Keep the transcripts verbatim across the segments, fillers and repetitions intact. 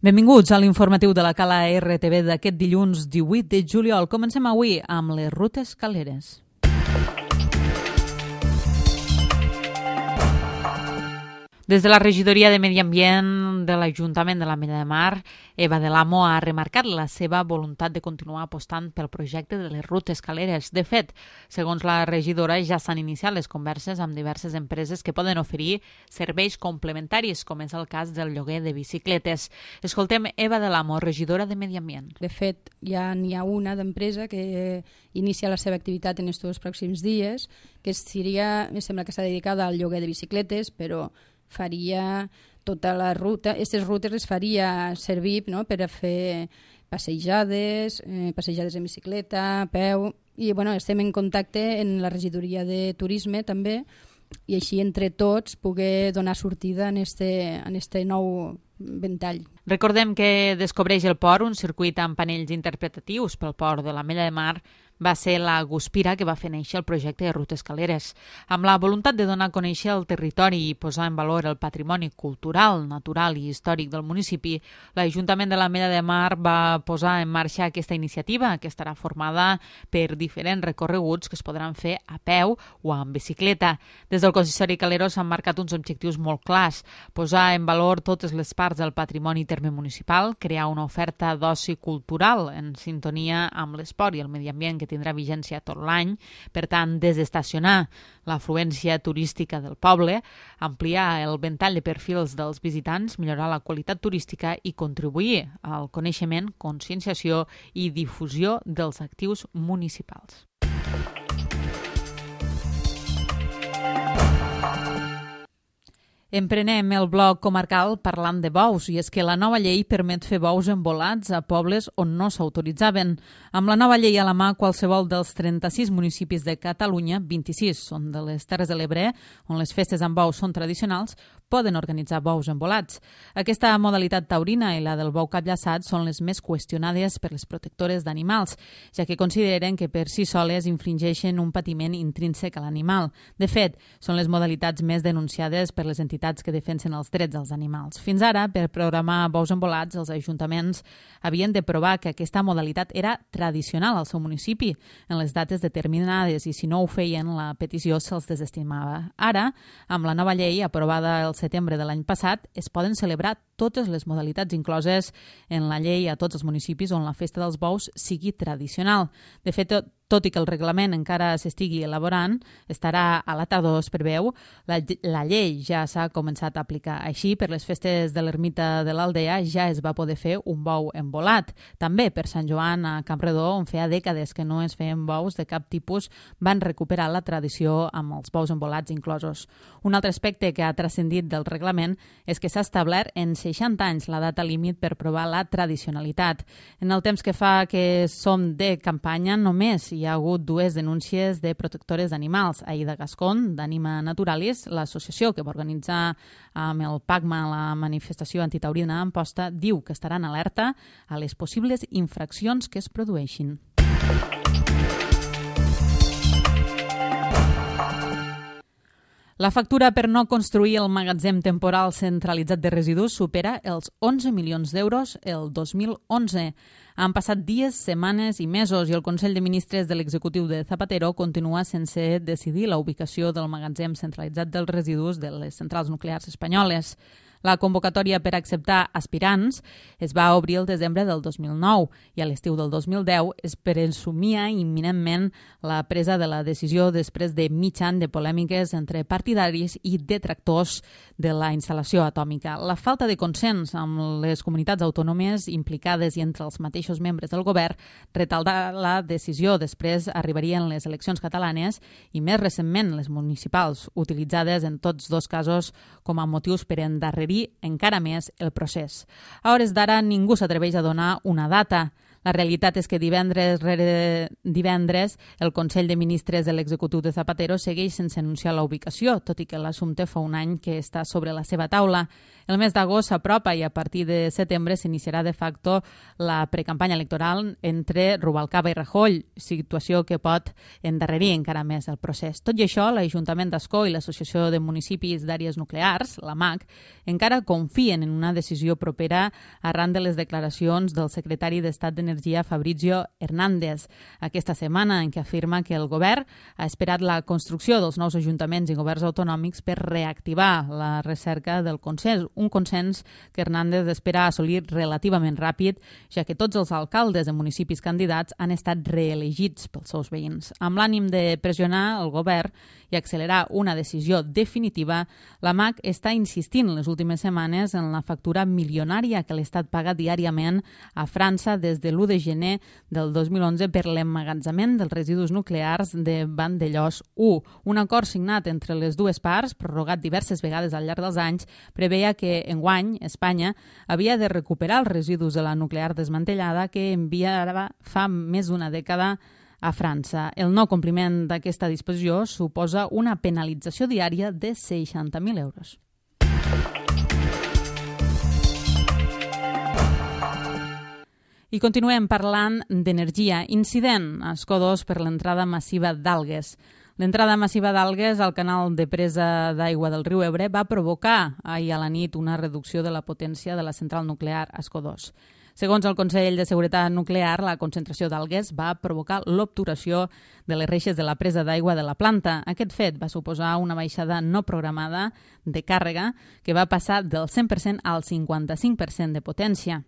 Benvinguts a l'informatiu de la Cala R T V d'aquest dilluns divuit de juliol. Comencem avui amb les rutes caleres. Des de la regidoria de Medi Ambient de l'Ajuntament de l'Ametlla de Mar, Eva de l'Amo ha remarcat la seva voluntat de continuar apostant pel projecte de les rutes caleres. De fet, segons la regidora, ja s'han iniciat les converses amb diverses empreses que poden oferir serveis complementaris, com és el cas del lloguer de bicicletes. Escoltem Eva de l'Amo, regidora de Medi Ambient. De fet, ja n'hi ha una d'empresa que inicia la seva activitat en aquests pròxims dies, que seria, em sembla que està dedicada al lloguer de bicicletes, però faria tota la ruta, aquestes rutes les faria servir, no?, per a fer passejades, eh, passejades en bicicleta, a peu, i bueno, estem en contacte en la regidoria de turisme també, i així entre tots poder donar sortida en este, en este nou ventall. Recordem que Descobreix el Port, un circuit amb panells interpretatius pel port de l'Ametlla de Mar, va ser la guspira que va fer néixer el projecte de rutes caleres. Amb la voluntat de donar a conèixer el territori i posar en valor el patrimoni cultural, natural i històric del municipi, l'Ajuntament de l'Ametlla de Mar va posar en marxa aquesta iniciativa, que estarà formada per diferents recorreguts que es podran fer a peu o amb bicicleta. Des del consistori calero s'han marcat uns objectius molt clars: posar en valor totes les parts del patrimoni terme municipal, crear una oferta d'oci cultural en sintonia amb l'esport i el medi ambient que tindrà vigència tot l'any, per tant, desestacionar l'afluència turística del poble, ampliar el ventall de perfils dels visitants, millorar la qualitat turística i contribuir al coneixement, conscienciació i difusió dels actius municipals. Emprenem el bloc comarcal parlant de bous, i és que la nova llei permet fer bous envolats a pobles on no s'autoritzaven. Amb la nova llei a la mà, qualsevol dels trenta-sis municipis de Catalunya, vint-i-sis són de les Terres de l'Ebre, on les festes amb bous són tradicionals, poden organitzar bous envolats. Aquesta modalitat taurina i la del bou capllaçat són les més qüestionades per les protectores d'animals, ja que consideren que per si soles infringeixen un patiment intrínsec a l'animal. De fet, són les modalitats més denunciades per les entitats que defensen els drets dels animals. Fins ara, per programar bous envolats, els ajuntaments havien de provar que aquesta modalitat era tradicional al seu municipi en les dates determinades, i si no ho feien, la petició se'ls desestimava. Ara, amb la nova llei aprovada el setembre de l'any passat, es poden celebrar totes les modalitats incloses en la llei a tots els municipis on la festa dels bous sigui tradicional. De fet, tot Tot i que el reglament encara s'estigui elaborant, estarà a la tardor, es preveu, la, la llei ja s'ha començat a aplicar. Així, per les festes de l'ermita de l'Aldea ja es va poder fer un bou envolat. També per Sant Joan a Campredó, on feia dècades que no es feien bous de cap tipus, van recuperar la tradició amb els bous envolats inclosos. Un altre aspecte que ha transcendit del reglament és que s'ha establert en seixanta anys la data límit per provar la tradicionalitat. En el temps que fa que som de campanya, només hi ha hagut dues denúncies de protectores d'animals. Aida Gascón, d'Anima Naturalis, l'associació que va organitzar amb el PACMA la manifestació antitaurina a Amposta, diu que estaran alerta a les possibles infraccions que es produeixin. La factura per no construir el magatzem temporal centralitzat de residus supera els onze milions d'euros el dos mil onze. Han passat dies, setmanes i mesos i el Consell de Ministres de l'executiu de Zapatero continua sense decidir la ubicació del magatzem centralitzat dels residus de les centrals nuclears espanyoles. La convocatòria per acceptar aspirants es va obrir el desembre del dos mil nou i a l'estiu del dos mil deu es presumia imminentment la presa de la decisió després de mig any de polèmiques entre partidaris i detractors de la instal·lació atòmica. La falta de consens amb les comunitats autònomes implicades i entre els mateixos membres del govern retardà la decisió. Després arribarien les eleccions catalanes i més recentment les municipals, utilitzades en tots dos casos com a motius per endarrerir encara més el procés. A hores d'ara ningú s'atreveix a donar una data. La realitat és que divendres rere divendres el Consell de Ministres de l'executiu de Zapatero segueix sense anunciar la ubicació, tot i que l'assumpte fa un any que està sobre la seva taula. El mes d'agost s'apropa i a partir de setembre s'iniciarà de facto la precampanya electoral entre Rubalcaba i Rajoy, situació que pot endarrerir encara més el procés. Tot i això, l'Ajuntament d'Ascó i l'Associació de Municipis d'Àrees Nuclears, la M A C, encara confien en una decisió propera arran de les declaracions del secretari d'Estat d'Energia Fabrizio Hernández aquesta setmana, en què afirma que el govern ha esperat la construcció dels nous ajuntaments i governs autonòmics per reactivar la recerca del consens, un consens que Hernández espera assolir relativament ràpid, ja que tots els alcaldes de municipis candidats han estat reelegits pels seus veïns. Amb l'ànim de pressionar el govern i accelerar una decisió definitiva, la M A C està insistint les últimes setmanes en la factura milionària que l'Estat paga diàriament a França des de l'u de gener del dos mil onze per l'emmagatzemament dels residus nuclears de Vandellòs u. Un acord signat entre les dues parts, prorrogat diverses vegades al llarg dels anys, preveia que enguany Espanya havia de recuperar els residus de la nuclear desmantellada que enviava fa més d'una dècada a França. El no compliment d'aquesta disposició suposa una penalització diària de seixanta mil euros. I continuem parlant d'energia. Incident a Escó dos per l'entrada massiva d'algues. L'entrada massiva d'algues al canal de presa d'aigua del riu Ebre va provocar ahir a la nit una reducció de la potència de la central nuclear Escó dos. Segons el Consell de Seguretat Nuclear, la concentració d'algues va provocar l'obturació de les reixes de la presa d'aigua de la planta. Aquest fet va suposar una baixada no programada de càrrega que va passar del cent per cent al cinquanta-cinc per cent de potència,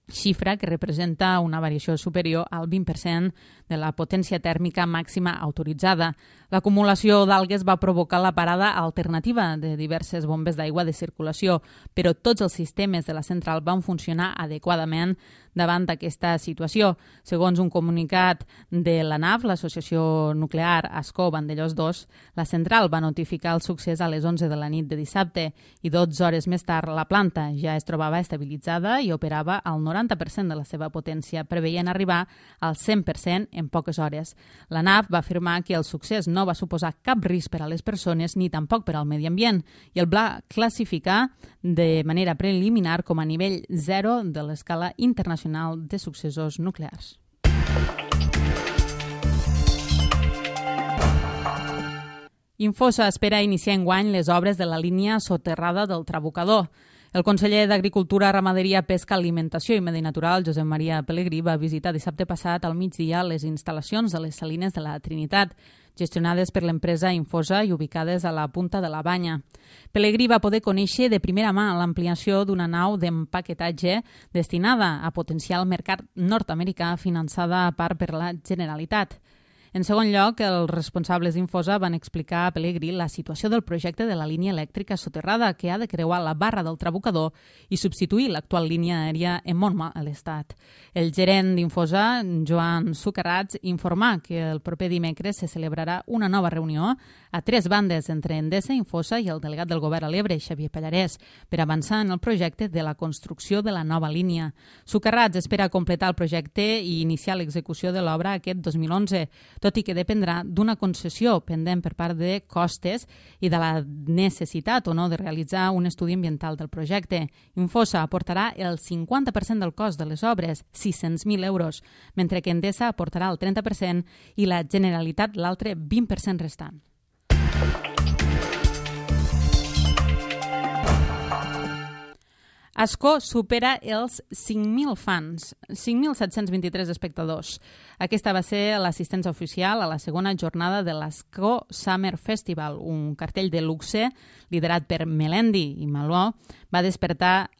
xifra que representa una variació superior al vint per cent de la potència tèrmica màxima autoritzada. L'acumulació d'algues va provocar la parada alternativa de diverses bombes d'aigua de circulació, però tots els sistemes de la central van funcionar adequadament davant d'aquesta situació. Segons un comunicat de la N A F, l'Associació Nuclear Ascó Vandellòs dos, la central va notificar el succés a les onze de la nit de dissabte i dotze hores més tard la planta ja es trobava estabilitzada i operava al noranta per cent de la seva potència, preveient arribar al cent per cent en poques hores. La N A F va afirmar que el succés no va suposar cap risc per a les persones ni tampoc per al medi ambient i el va classificar de manera preliminar com a nivell zero de l'escala internacional de successos nuclears. Infosa espera iniciar enguany les obres de la línia soterrada del Trabucador. El conseller d'Agricultura, Ramaderia, Pesca, Alimentació i Medi Natural, Josep Maria Pelegrí, va visitar dissabte passat al migdia les instal·lacions de les salines de la Trinitat, gestionades per l'empresa Infosa i ubicades a la punta de la Banya. Pelegrí va poder conèixer de primera mà l'ampliació d'una nau d'empaquetatge destinada a potenciar el mercat nord-americà finançada a part per la Generalitat. En segon lloc, els responsables d'Infosa van explicar a Pelegrí la situació del projecte de la línia elèctrica soterrada que ha de creuar la barra del Trabucador i substituir l'actual línia aèria en Montmà a l'Estat. El gerent d'Infosa, Joan Sucarrats, informà que el proper dimecres se celebrarà una nova reunió a tres bandes entre Endesa, Infosa i el delegat del govern a l'Ebre, Xavier Pallarès, per avançar en el projecte de la construcció de la nova línia. Sucarrats espera completar el projecte i iniciar l'execució de l'obra aquest dos mil onze, tot i que dependrà d'una concessió pendent per part de costes i de la necessitat o no de realitzar un estudi ambiental del projecte. Infosa aportarà el cinquanta per cent del cost de les obres, sis-cents mil euros, mentre que Endesa aportarà el trenta per cent i la Generalitat l'altre vint per cent restant. Ascó supera els cinc mil fans, cinc mil set-cents vint-i-tres espectadors. Aquesta va ser l'assistència oficial a la segona jornada de l'Ascó Summer Festival, un cartell de luxe liderat per Melendi i Maló, va despertar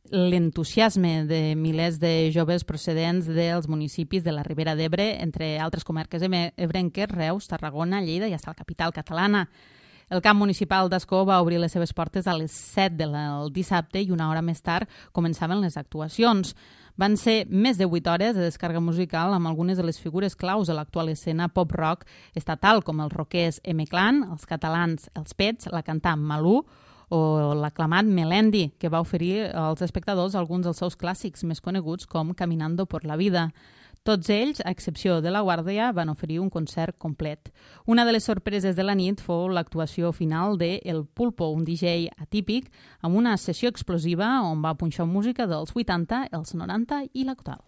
l'entusiasme de milers de joves procedents dels municipis de la Ribera d'Ebre, entre altres comarques ebrenques, Reus, Tarragona, Lleida i fins a la capital catalana. El camp municipal d'Ascó va obrir les seves portes a les set del dissabte i una hora més tard començaven les actuacions. Van ser més de vuit hores de descàrrega musical amb algunes de les figures claus de l'actual escena pop-rock estatal, com els rockers M-Clan, els catalans Els Pets, la cantant Malú o l'aclamat Melendi, que va oferir als espectadors alguns dels seus clàssics més coneguts com Caminando por la vida. Tots ells, a excepció de La Guàrdia, van oferir un concert complet. Una de les sorpreses de la nit fou l'actuació final de El Pulpo, un D J atípic, amb una sessió explosiva on va punxar música dels vuitanta, els noranta i l'actual.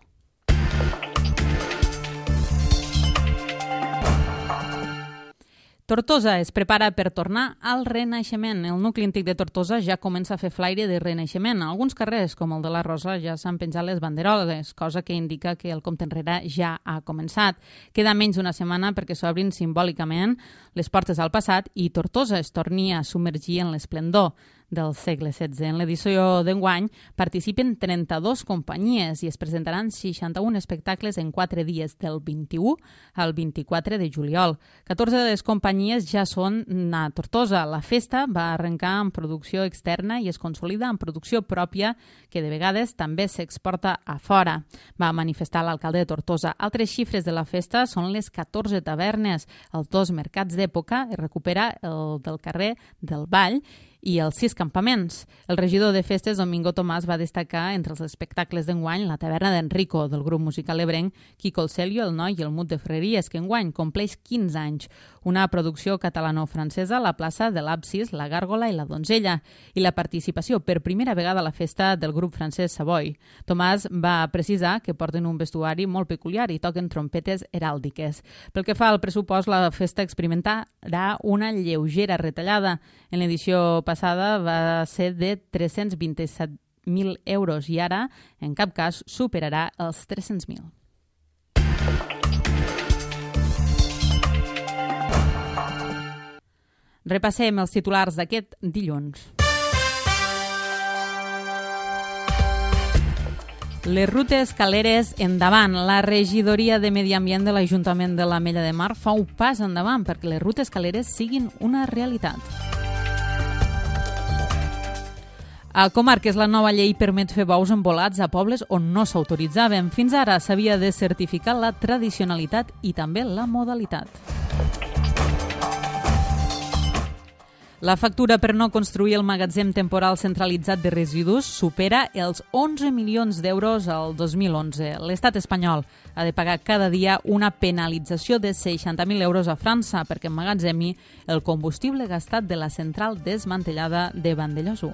Tortosa es prepara per tornar al Renaixement. El nucli antic de Tortosa ja comença a fer flaire de renaixement. A alguns carrers, com el de la Rosa, ja s'han penjat les banderoles, cosa que indica que el compte enrere ja ha començat. Queda menys d'una setmana perquè s'obrin simbòlicament les portes al passat i Tortosa es torni a submergir en l'esplendor del segle setze. En l'edició d'enguany participen trenta-dues companyies i es presentaran seixanta-un espectacles en quatre dies, del vint-i-u al vint-i-quatre de juliol. catorze de les companyies ja són a Tortosa. La festa va arrencar en producció externa i es consolida en producció pròpia, que de vegades també s'exporta a fora, va manifestar l'alcalde de Tortosa. Altres xifres de la festa són les catorze tavernes, els dos mercats d'època, es recupera el del carrer del Vall i els sis campaments. El regidor de festes, Domingo Tomàs, va destacar entre els espectacles d'enguany la taverna d'Enrico, del grup musical ebrenc Quico el Celio, el Noi i el Mut de Ferreries, que enguany compleix quinze anys. Una producció catalano-francesa a la plaça de l'Absis, la Gàrgola i la Donzella, i la participació per primera vegada a la festa del grup francès Savoy. Tomàs va precisar que porten un vestuari molt peculiar i toquen trompetes heràldiques. Pel que fa al pressupost, la festa experimentarà una lleugera retallada. En l'edició passada va ser de tres-cents vint-i-set mil euros i ara, en cap cas, superarà els tres-cents mil. Repassem els titulars d'aquest dilluns. Les rutes caleres endavant. La regidoria de Medi Ambient de l'Ajuntament de l'Ametlla de Mar fa un pas endavant perquè les rutes caleres siguin una realitat. A comarques, la nova llei permet fer bous embolats a pobles on no s'autoritzaven. Fins ara s'havia de certificar la tradicionalitat i també la modalitat. La factura per no construir el magatzem temporal centralitzat de residus supera els onze milions d'euros al dos mil onze. L'estat espanyol ha de pagar cada dia una penalització de seixanta mil euros a França perquè emmagatzemi el combustible gastat de la central desmantellada de Vandellòs u.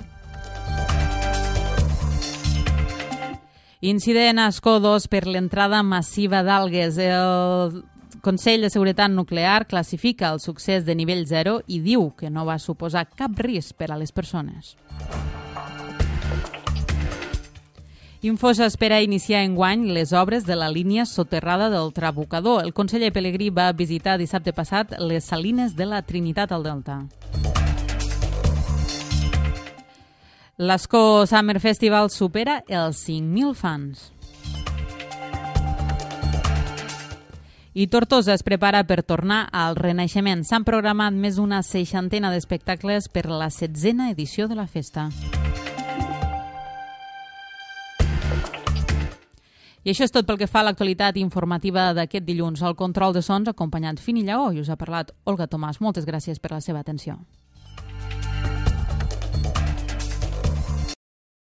Incident a Ascó dos per l'entrada massiva d'algues. El Consell de Seguretat Nuclear classifica el succés de nivell zero i diu que no va suposar cap risc per a les persones. Infosa espera iniciar enguany les obres de la línia soterrada del Trabucador. El conseller Pelegrí va visitar dissabte passat les salines de la Trinitat al Delta. L'Ascó Summer Festival supera els cinc mil fans. I Tortosa es prepara per tornar al Renaixement. S'han programat més d'una seixantena d'espectacles per la setzena edició de la festa. I això és tot pel que fa a l'actualitat informativa d'aquest dilluns. Al control de sons, acompanyat Fini Lleó, i us ha parlat Olga Tomàs. Moltes gràcies per la seva atenció.